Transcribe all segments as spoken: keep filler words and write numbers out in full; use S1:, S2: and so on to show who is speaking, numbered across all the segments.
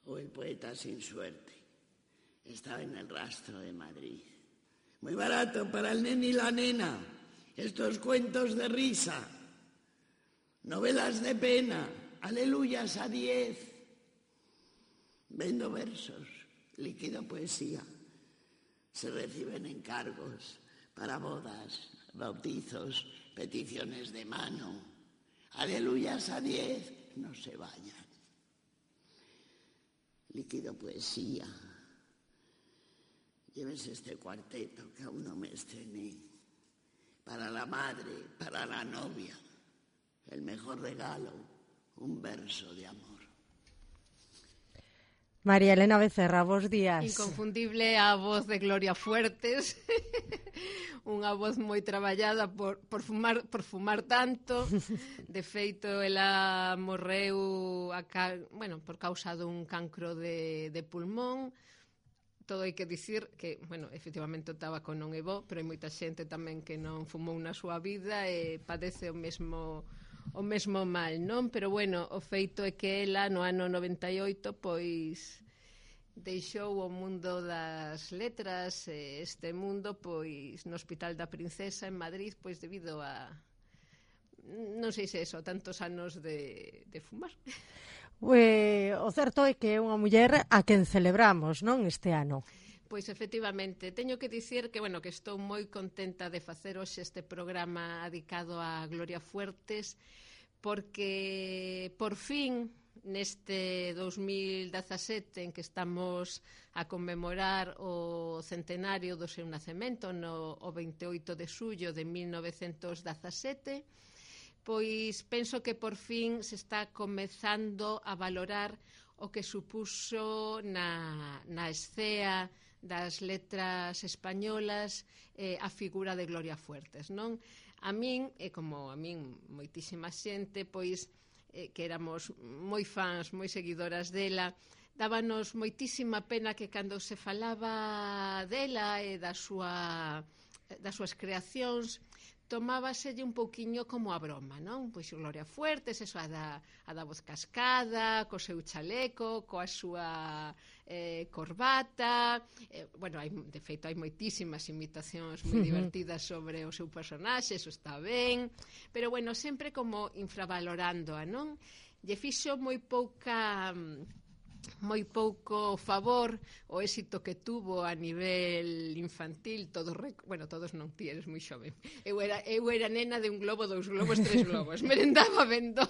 S1: o El poeta sin suerte. Estaba en el Rastro de Madrid. Muy barato para el nene y la nena. Estos cuentos de risa. Novelas de pena. Aleluyas a diez. Vendo versos. Líquido poesía. Se reciben encargos para bodas, bautizos, peticiones de mano. Aleluyas a diez. No se vayan. Líquido poesía. Lleves este cuarteto que aún no me estrené. Para la madre, para la novia. El mejor regalo, un verso de amor.
S2: María Elena Becerra, bos días.
S3: Inconfundible a voz de Gloria Fuertes. Unha voz moi traballada por, por, fumar, por fumar tanto. De feito, ela morreu a ca... bueno, por causa dun cancro de, de pulmón. Todo hai que dicir que, bueno, efectivamente o tabaco non é bo, pero hai moita xente tamén que non fumou na súa vida e padece o mesmo o mesmo mal, non? Pero bueno, o feito é que ela no ano noventa e oito pois deixou o mundo das letras, este mundo pois no Hospital da Princesa en Madrid, pois debido a non sei se eso, tantos anos de, de fumar.
S2: Eh, o certo é que é unha muller a quen celebramos, non, este ano.
S3: Pois efectivamente, teño que dicir que, bueno, que estou moi contenta de facer hoxe este programa dedicado a Gloria Fuertes, porque por fin neste dos mil dezasete en que estamos a conmemorar o centenario do seu nacemento no o veintioito de xullo de mil novecentos dezasete, pois penso que por fin se está comezando a valorar o que supuso na, na escea das letras españolas eh, a figura de Gloria Fuertes, non? A min, e como a min moitísima xente, pois eh, que éramos moi fans, moi seguidoras dela, dábanos moitísima pena que cando se falaba dela e da súa, das súas creacións tomábaselle un pouquiño como a broma, non? Pois Gloria Fuertes, eso a da, a da voz cascada, co seu chaleco, coa súa eh, corbata, eh, bueno, hai, de feito hai moitísimas imitacións moi divertidas sobre o seu personaxe, eso está ben, pero bueno, sempre como infravalorándoa, non? Lle fixo moi pouca... moi pouco favor o éxito que tuvo a nivel infantil, todos, rec... bueno, todos non, ti eres moi xoven. Eu era, eu era nena de un globo, dous globos, tres globos. Merendaba vendo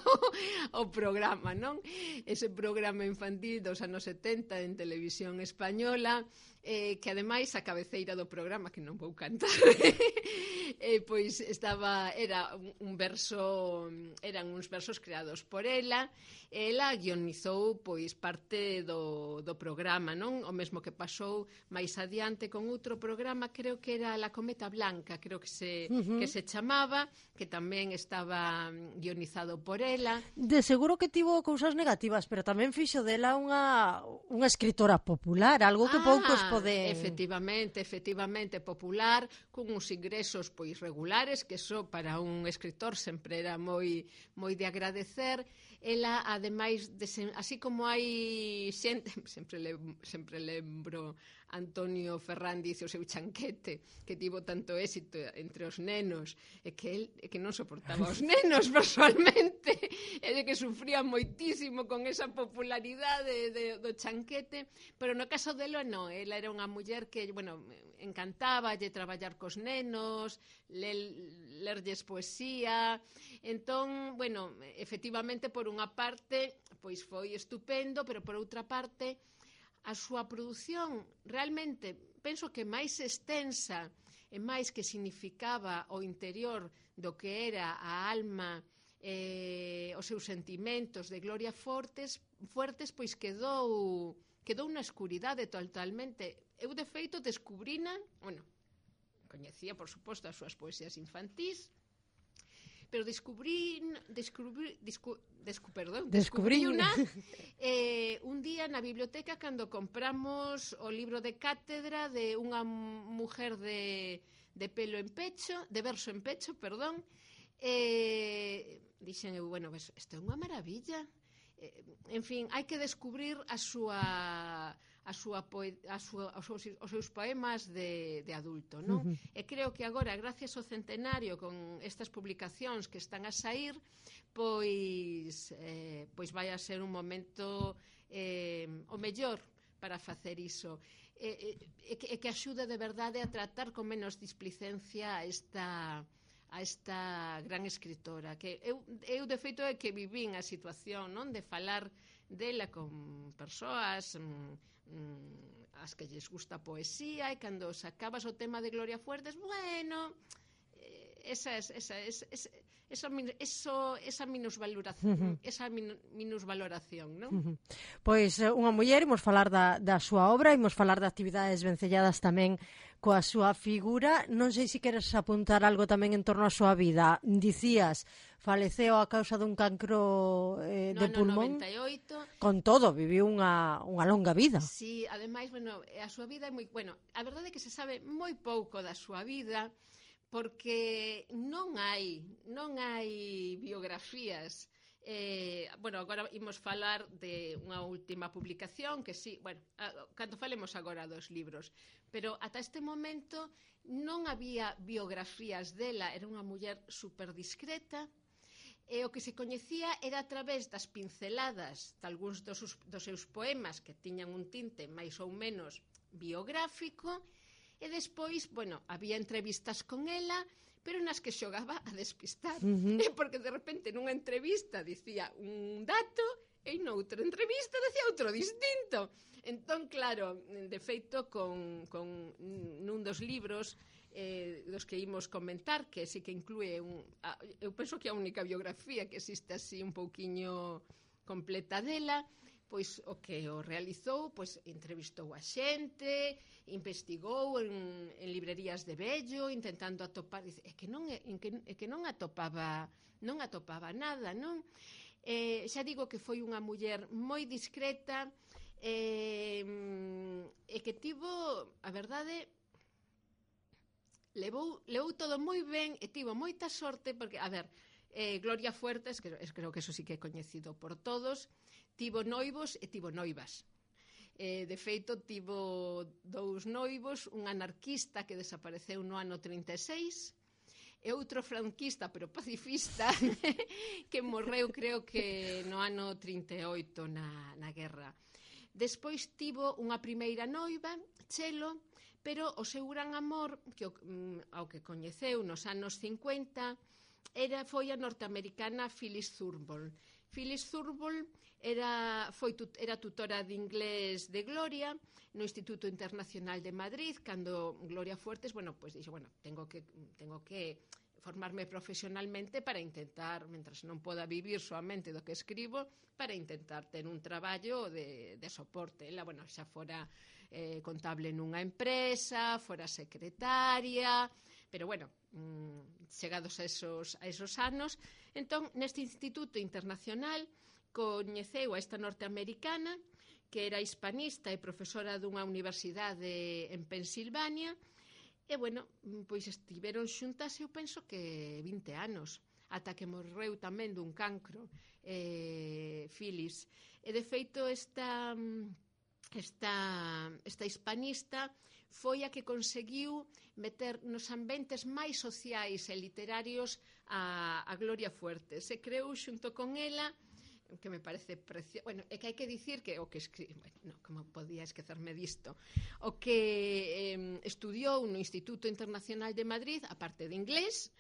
S3: o programa, non? Ese programa infantil dos anos setenta en televisión española, eh, que ademais a cabeceira do programa, que non vou cantar, eh, pois estaba, era un, un verso, eran uns versos creados por ela, ela guionizou pois parte do, do programa, non? O mesmo que pasou máis adiante con outro programa, creo que era La Cometa Blanca, creo que se, uh-huh. que se chamaba, que tamén estaba guionizado por ela.
S2: De seguro que tivo cousas negativas, pero tamén fixo dela unha, unha escritora popular, algo que ah, poucos poden...
S3: Efectivamente, efectivamente popular, con uns ingresos pois regulares, que eso para un escritor sempre era moi moi de agradecer. Ela, ademais, de, así como hai xente, sempre, le, sempre lembro Antonio Ferrandiz e o seu chanquete, que tivo tanto éxito entre os nenos, e que el e que non soportaba os nenos personalmente, e de que sufría moitísimo con esa popularidade de, do chanquete, pero no caso dela non, ela era unha muller que, bueno, encantaba lle traballar cos nenos, le, lerlles poesía, entón, bueno, efectivamente, por unha parte, pois foi estupendo, pero por outra parte, a súa produción realmente penso que máis extensa e máis que significaba o interior do que era a alma, eh, os seus sentimentos de Gloria Fuertes, Fuertes pois quedou quedou na escuridade totalmente. Eu, de feito, descubrina, bueno, coñecía, por suposto, as súas poesías infantís, pero descubrí, descubrí, descu, descu, perdón, descubrí una eh, un día na biblioteca cando compramos o libro de cátedra de unha mujer de, de pelo en pecho, de verso en pecho, perdón, eh, dixen eu, bueno, isto é unha maravilla, en fin, hai que descubrir a súa a súa, poe, a súa os, seus, os seus poemas de, de adulto, non? Uh-huh. E creo que agora, gracias ao centenario, con estas publicacións que están a sair, pois eh, pois vai a ser un momento eh, o mellor para facer iso, e, e, e que axude de verdade a tratar con menos displicencia a esta a esta gran escritora, que eu, eu de feito é que vivín a situación, non, de falar dela con persoas mm, as que lles gusta a poesía, e cando sacabas o tema de Gloria Fuertes, bueno, esa esa esa esa, esa, eso, esa minusvaloración, uh-huh. esa min, minusvaloración, non? Uh-huh.
S2: Pois unha muller, imos falar da, da súa obra, imos falar de actividades vencelladas tamén coa súa figura. Non sei se queres apuntar algo tamén en torno á súa vida. Dicías, faleceu a causa dun cancro eh, de
S3: no,
S2: pulmón.
S3: No, noventa e oito.
S2: Con todo, viviu unha, unha longa vida.
S3: Sí, ademais, bueno, a súa vida é moi... Bueno, a verdade é que se sabe moi pouco da súa vida, porque non hai non hai biografías. Eh, bueno, agora imos falar de unha última publicación que sí, bueno, cando falemos agora dos libros, pero ata este momento non había biografías dela. Era unha muller super discreta, e o que se coñecía era a través das pinceladas de algúns dos, dos seus poemas, que tiñan un tinte máis ou menos biográfico. E despois, bueno, había entrevistas con ela, pero nas que xogaba a despistar. Uh-huh. Porque de repente nunha entrevista dicía un dato e noutra entrevista dicía outro distinto. Entón, claro, de feito, con, con nun dos libros eh, dos que imos comentar, que sí que inclúe un, a, eu penso que a única biografía que existe así un pouquiño completa dela, pois o que o realizou, pois entrevistou a xente, investigou en, en librerías de vello, intentando atopar, é que non é que, é que non atopaba, non atopaba nada, non? Eh, xa digo que foi unha muller moi discreta, eh, e que tivo, a verdade, levou, levou todo moi ben e tivo moita sorte, porque, a ver, eh, Gloria Fuertes, que creo que eso sí que é coñecido por todos, tivo noivos e tivo noivas. Eh, de feito, tivo dous noivos, un anarquista que desapareceu no ano trinta e seis e outro franquista, pero pacifista, que morreu, creo que no ano trinta e oito na, na guerra. Despois tivo unha primeira noiva, Chelo, pero o seu gran amor, que ao que coñeceu nos anos cincuenta, era, foi a norteamericana Phyllis Thurgood. Phyllis Thurgood era, foi, era tutora de inglés de Gloria no Instituto Internacional de Madrid, cando Gloria Fuertes, bueno, pues dixo, bueno, tengo que, tengo que formarme profesionalmente para intentar, mentras non poda vivir soamente do que escribo, para intentar ter un traballo de, de soporte. Ela, bueno, xa fora eh, contable nunha empresa, fora secretaria, pero bueno, mmm, chegados a esos, a esos anos, entón, neste Instituto Internacional coñeceu a esta norteamericana, que era hispanista e profesora dunha universidade en Pensilvania, e, bueno, pois estiveron xuntas, eu penso que vinte anos, ata que morreu tamén dun cancro, eh, Phyllis. E, de feito, esta, esta, esta hispanista foi a que conseguiu meter nos ambientes máis sociais e literarios a, a Gloria Fuertes. Se creou xunto con ela, que me parece precioso. Bueno, é que hai que dicir que o que escri... bueno, no, como podía esquecerme disto, o que eh, estudiou no Instituto Internacional de Madrid, a parte de inglés,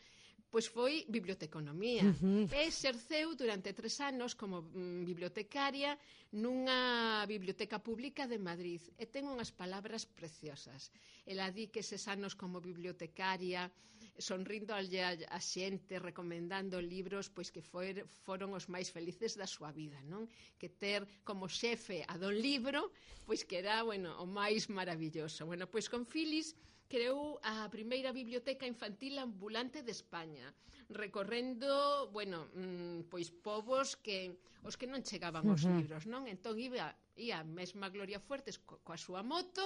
S3: pois foi biblioteconomía. Uh-huh. E exerceu durante tres anos como mm, bibliotecaria nunha biblioteca pública de Madrid. E ten unhas palabras preciosas. Ela di que eses anos como bibliotecaria, sonrindo a, a xente, recomendando libros, pois que foi, foron os máis felices da súa vida, non? Que ter como xefe a don libro, pois que era, bueno, o máis maravilloso. Bueno, pois con Phyllis creou a primeira biblioteca infantil ambulante de España. recorrendo, bueno, mm, pois povos que os que non chegaban aos
S2: Uh-huh.
S3: libros, non? Entón iba ia a mesma Gloria Fuertes co, coa súa moto,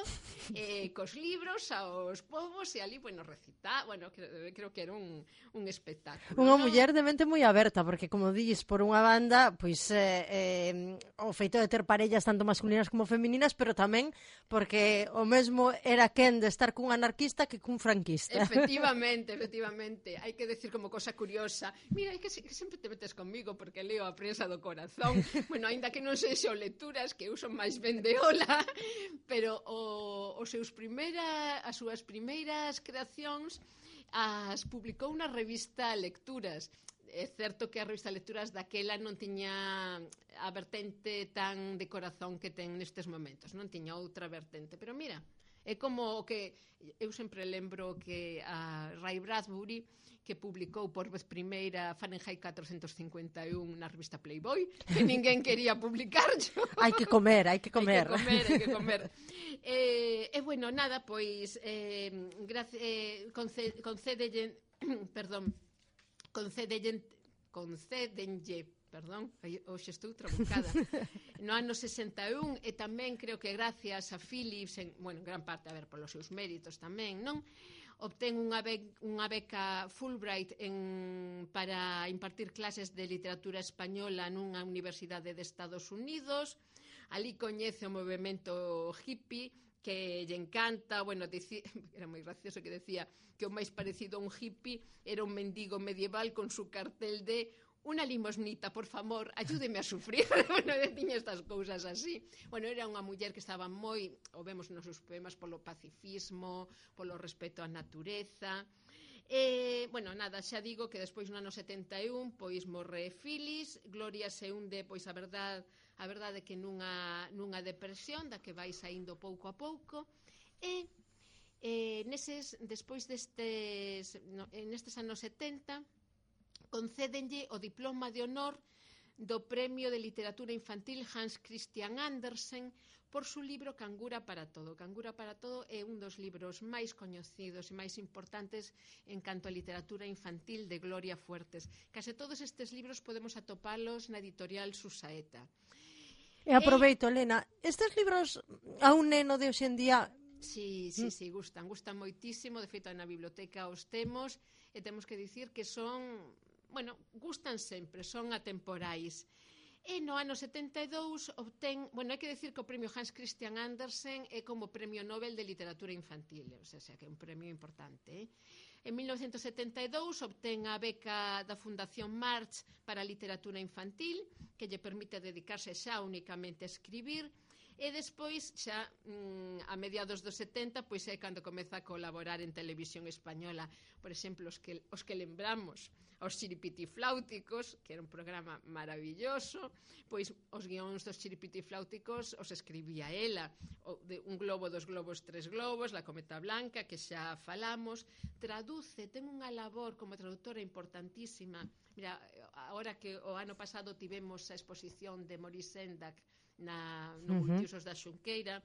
S3: eh, cos libros aos povos e ali, bueno, recita, bueno, creo, creo que era un, un espectáculo.
S2: Unha
S3: non?
S2: muller de mente moi aberta, porque como dis, por unha banda, pois eh, eh, o feito de ter parellas tanto masculinas como femininas, pero tamén porque o mesmo era quen de estar cun anarquista que cun franquista.
S3: Efectivamente, efectivamente. Hai que decir como cosa curiosa. Mira, é que, se, que sempre te metes conmigo porque leo a prensa do corazón. Bueno, aínda que non sexo lecturas, que eu son máis ben de ola, pero o, os seus primeira, as súas primeiras creacións as publicou na revista Lecturas. É certo que a revista Lecturas daquela non tiña a vertente tan de corazón que ten nestes momentos, non tiña outra vertente, pero mira, é como que eu sempre lembro que a Ray Bradbury, que publicou por vez primeira Fahrenheit catrocentos cincuenta e un na revista Playboy, que ninguén quería publicar yo.
S2: Hai que comer, hai que comer.
S3: Hai que comer, hai que comer. E, eh, bueno, nada, pois eh, gracias, eh, concede, concedelle, perdón, concedelle, concédenlle, perdón, hoxe estou trabucada, no ano sesenta e un, e tamén creo que gracias a Philips, en, bueno, en gran parte, a ver, polos seus méritos tamén, non? Obtén unha, be unha beca Fulbright en, para impartir clases de literatura española nunha universidade de Estados Unidos. Ali coñece o movimento hippie, que lle encanta, bueno, dici, era moi gracioso que decía que o máis parecido a un hippie era un mendigo medieval con su cartel de "una limosnita, por favor, ayúdeme a sufrir". Bueno, tiña estas cousas así. Bueno, era unha muller que estaba moi, o vemos nos seus poemas, polo pacifismo, polo respeto á natureza. E, bueno, nada, xa digo que despois no ano setenta e un, pois morre Phyllis, Gloria se hunde, pois a verdade, a verdade que nunha, nunha depresión da que vai saindo pouco a pouco, e eh, neses, despois destes, no, nestes anos setenta, concédenlle o diploma de honor do Premio de Literatura Infantil Hans Christian Andersen por su libro Cangura para todo. Cangura para todo é un dos libros máis coñecidos e máis importantes en canto a literatura infantil de Gloria Fuertes. Case todos estes libros podemos atopalos na editorial Susaeta.
S2: E aproveito, Elena, estes libros a un neno de hoxe en día...
S3: Sí, sí, sí, gustan, gustan moitísimo. De feito, na biblioteca os temos e temos que dicir que son... Bueno, gustan sempre, son atemporais. E no ano setenta e dous obtén, bueno, hai que decir que o premio Hans Christian Andersen é como premio Nobel de Literatura Infantil, o sea, que é un premio importante. Eh? En mil novecentos setenta e dous obtén a beca da Fundación March para a literatura infantil, que lle permite dedicarse xa únicamente a escribir. E despois, xa mm, a mediados dos setenta, pois é cando comeza a colaborar en televisión española. Por exemplo, os que, os que lembramos, os Chiripitifláuticos, que era un programa maravilloso, pois os guións dos Chiripitifláuticos os escribía ela. O, de Un globo, dos globos, tres globos, La cometa blanca, que xa falamos. Traduce, ten unha labor como traductora importantísima. Mira, agora que o ano pasado tivemos a exposición de Maurice Sendak na, no uh-huh. Multiusos da Xunqueira,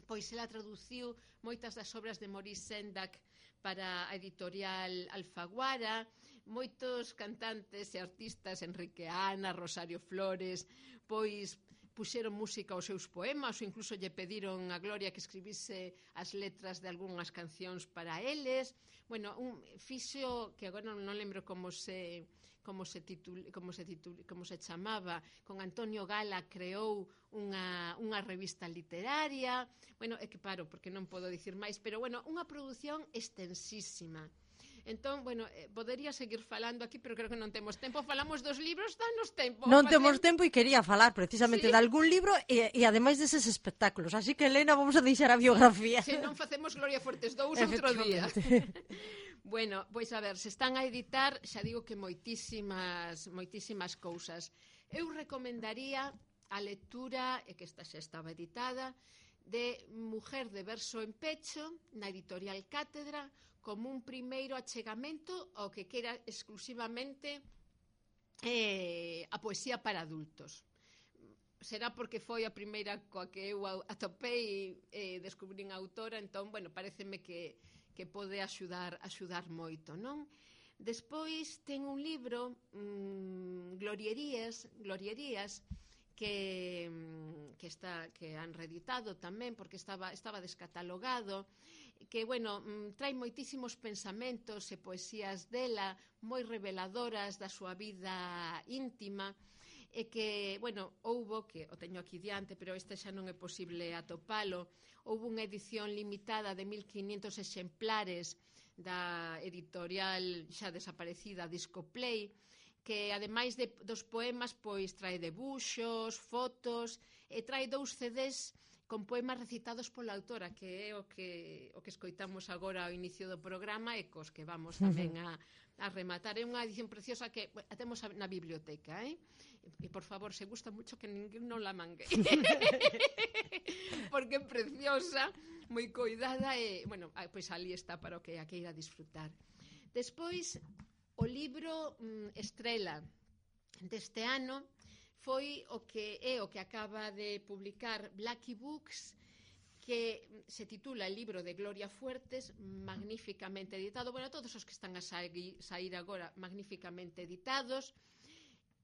S3: pois ela traduciu moitas das obras de Maurice Sendak para a editorial Alfaguara. Moitos cantantes e artistas, Enrique Ana, Rosario Flores, pois puxeron música aos seus poemas ou incluso lle pediron a Gloria que escribise as letras de algunhas cancións para eles. Bueno, un fixo que agora non, non lembro como se como se titul, como se titul, como se chamaba, con Antonio Gala creou unha unha revista literaria. Bueno, é que paro porque non podo dicir máis, pero bueno, unha produción extensísima. Entón, bueno, eh, podería seguir falando aquí, pero creo que non temos tempo. Falamos dos libros, danos tempo.
S2: Non temos tempo e quería falar precisamente
S3: ¿Sí?
S2: de algún libro e, e ademais deses espectáculos. Así que, Elena, vamos a deixar a biografía.
S3: Se non facemos Gloria Fuertes dous outro día. Bueno, pois a ver, se están a editar, xa digo que moitísimas, moitísimas cousas. Eu recomendaría a lectura, e que esta xa estaba editada, de Mujer de verso en pecho, na editorial Cátedra, como un primeiro achegamento ao que quera exclusivamente eh, a poesía para adultos. Será porque foi a primeira coa que eu atopei e eh, descubrín a autora, entón, bueno, pareceme que, que pode axudar, axudar moito, non? Despois ten un libro, mmm, Glorierías, Glorierías, que, que, está, que han reeditado tamén, porque estaba, estaba descatalogado, que, bueno, trae moitísimos pensamentos e poesías dela, moi reveladoras da súa vida íntima, e que, bueno, houbo, que o teño aquí diante, pero este xa non é posible atopalo, houbo unha edición limitada de mil quiñentos exemplares da editorial xa desaparecida Discoplay, que ademais de, dos poemas, pois trae debuxos, fotos, e trae dous C Ds con poemas recitados pola autora, que é o que, o que escoitamos agora ao inicio do programa e cos que vamos tamén a, a rematar. É unha edición preciosa que a temos na biblioteca, eh? E, por favor, se gusta mucho que ninguén non la mangue. Porque é preciosa, moi coidada e, bueno, pois ali está para o que a queira disfrutar. Despois, o libro mm, estrela deste ano foi o que é o que acaba de publicar Blackie Books, que se titula El libro de Gloria Fuertes, magníficamente editado. Bueno, todos os que están a sair, sair agora magníficamente editados.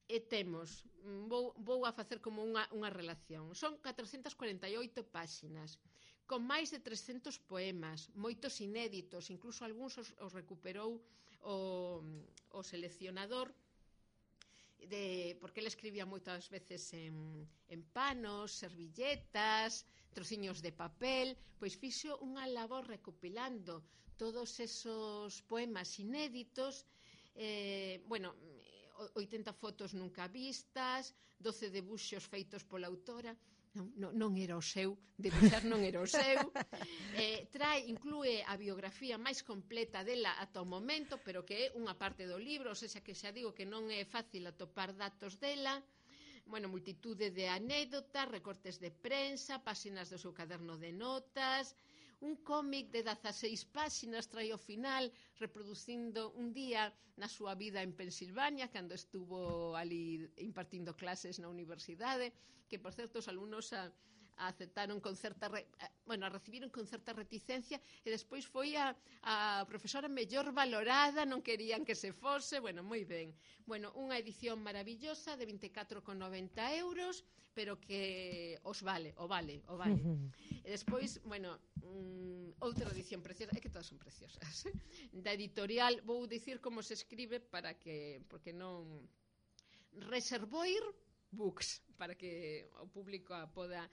S3: E temos, vou, vou a facer como unha, unha relación. Son catrocentas cuarenta e oito páxinas, con máis de trescentos poemas, moitos inéditos, incluso algúns os, os recuperou o, o seleccionador, de, porque ele escribía moitas veces en, en panos, servilletas, trociños de papel, pois fixo unha labor recopilando todos esos poemas inéditos, eh, bueno, oitenta fotos nunca vistas, doce debuxos feitos pola autora. Non, non, non era o seu, debuxar non era o seu. Eh, trae, inclúe a biografía máis completa dela ata o momento, pero que é unha parte do libro, ou seja, que xa digo que non é fácil atopar datos dela. Bueno, multitude de anécdotas, recortes de prensa, páxinas do seu caderno de notas, un cómic de dezaseis páxinas trae ao final reproducindo un día na súa vida en Pensilvania, cando estuvo ali impartindo clases na universidade, que, por certo, os alumnos a, a aceptaron con certa re, a, bueno, a recibiron con certa reticencia, e despois foi a, a profesora mellor valorada, non querían que se fose, bueno, moi ben. Bueno, unha edición maravillosa de vinte e catro con noventa euros, pero que os vale, o vale, o vale. E despois, bueno, um, outra edición preciosa, é que todas son preciosas, eh? Da editorial, vou dicir como se escribe para que, porque non... Reservoir Books, para que o público a poda...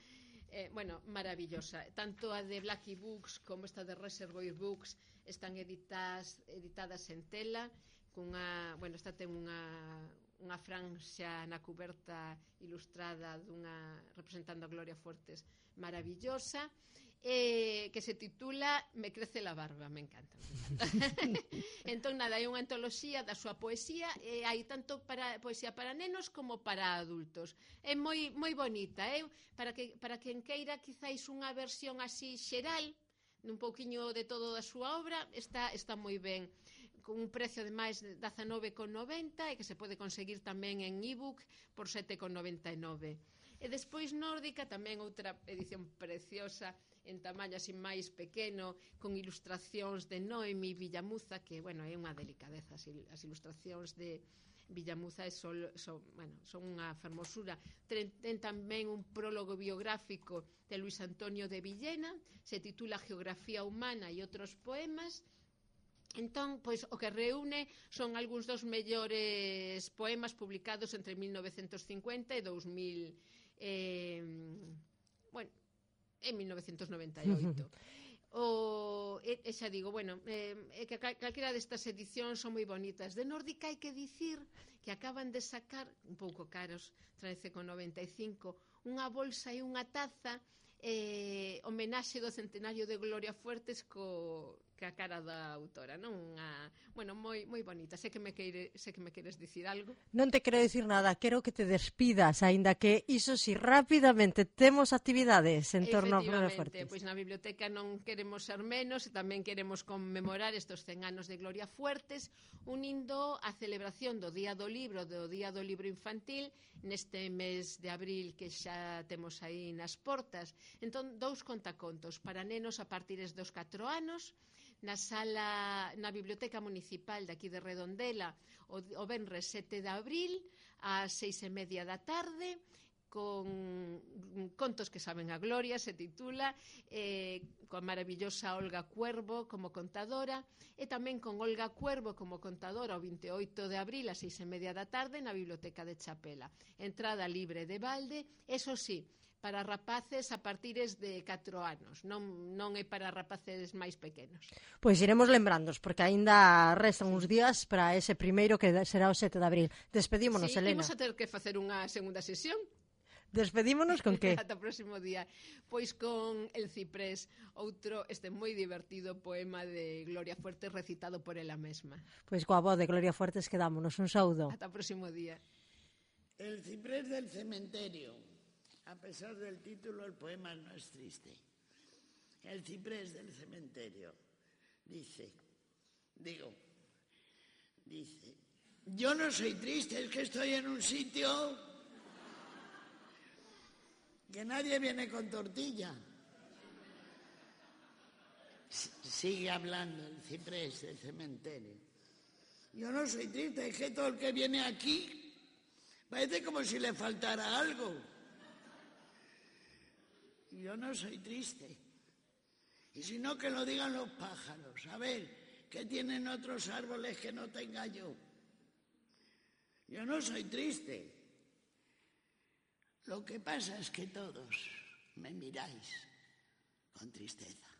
S3: Eh, bueno, maravillosa. Tanto a de Blackie Books como esta de Reservoir Books están editadas, editadas en tela, cunha, bueno, esta ten unha, unha franxa na cuberta ilustrada dunha, representando a Gloria Fuertes, maravillosa, eh, que se titula Me crece la barba, me encanta, me encanta. Entón, nada, é unha antoloxía da súa poesía, e hai tanto para poesía para nenos como para adultos. É moi moi bonita, eh? Para que para quen queira quizáis unha versión así xeral, un pouquiño de todo da súa obra, está está moi ben, con un precio de máis de dezanove con noventa e que se pode conseguir tamén en ebook por sete con noventa e nove. E despois Nórdica, tamén outra edición preciosa en tamaño así máis pequeno, con ilustracións de Noemi Villamuza, que, bueno, é unha delicadeza. As ilustracións de Villamuza son, son, bueno, son unha fermosura. Ten, ten tamén un prólogo biográfico de Luis Antonio de Villena, se titula Geografía Humana e outros poemas. Entón, pois, o que reúne son algúns dos mellores poemas publicados entre mil novecentos cincuenta e dous mil, eh, bueno, en mil novecentos noventa e oito. O, e, e xa digo, bueno, eh, é que calquera destas edicións son moi bonitas. De Nórdica hai que dicir que acaban de sacar, un pouco caros, trece con noventa e cinco, unha bolsa e unha taza, eh, homenaxe do centenario de Gloria Fuertes co que a cara da autora, non? Unha, bueno, moi moi bonita. Sei que me queire, sei que me queres dicir algo.
S2: Non te quero dicir nada, quero que te despidas, aínda que iso si rapidamente temos actividades en torno a Gloria Fuertes.
S3: Pois na biblioteca non queremos ser menos, e tamén queremos conmemorar estes cen anos de Gloria Fuertes, unindo a celebración do Día do Libro, do Día do Libro Infantil, neste mes de abril que xa temos aí nas portas. Entón, dous contacontos para nenos a partir dos catro anos, na sala, na Biblioteca Municipal de aquí de Redondela o, o venres sete de abril ás seis e media da tarde, con contos que saben a gloria, se titula, eh, coa maravillosa Olga Cuervo como contadora, e tamén con Olga Cuervo como contadora o vinte e oito de abril a seis e media da tarde na Biblioteca de Chapela. Entrada libre de balde, eso sí, para rapaces a partires de catro anos, non, non é para rapaces máis pequenos.
S2: Pois iremos lembrándos, porque aínda restan uns días para ese primeiro que será o sete de abril. Despedímonos,
S3: sí,
S2: Elena.
S3: Imos a ter que facer unha segunda sesión.
S2: Despedímonos con que?
S3: Ata o próximo día. Pois con El Ciprés, outro este moi divertido poema de Gloria Fuertes recitado por ela mesma.
S2: Pois coa voz de Gloria Fuertes quedámonos. Un saúdo.
S3: Ata o próximo día.
S1: El ciprés del cementerio. A pesar del título, el poema no es triste. El ciprés del cementerio dice, digo, dice, yo no soy triste, es que estoy en un sitio que nadie viene con tortilla. Sigue hablando el ciprés del cementerio. Yo no soy triste, es que todo el que viene aquí parece como si le faltara algo. Yo no soy triste. Y si no, que lo digan los pájaros. A ver, ¿qué tienen otros árboles que no tenga yo? Yo no soy triste. Lo que pasa es que todos me miráis con tristeza.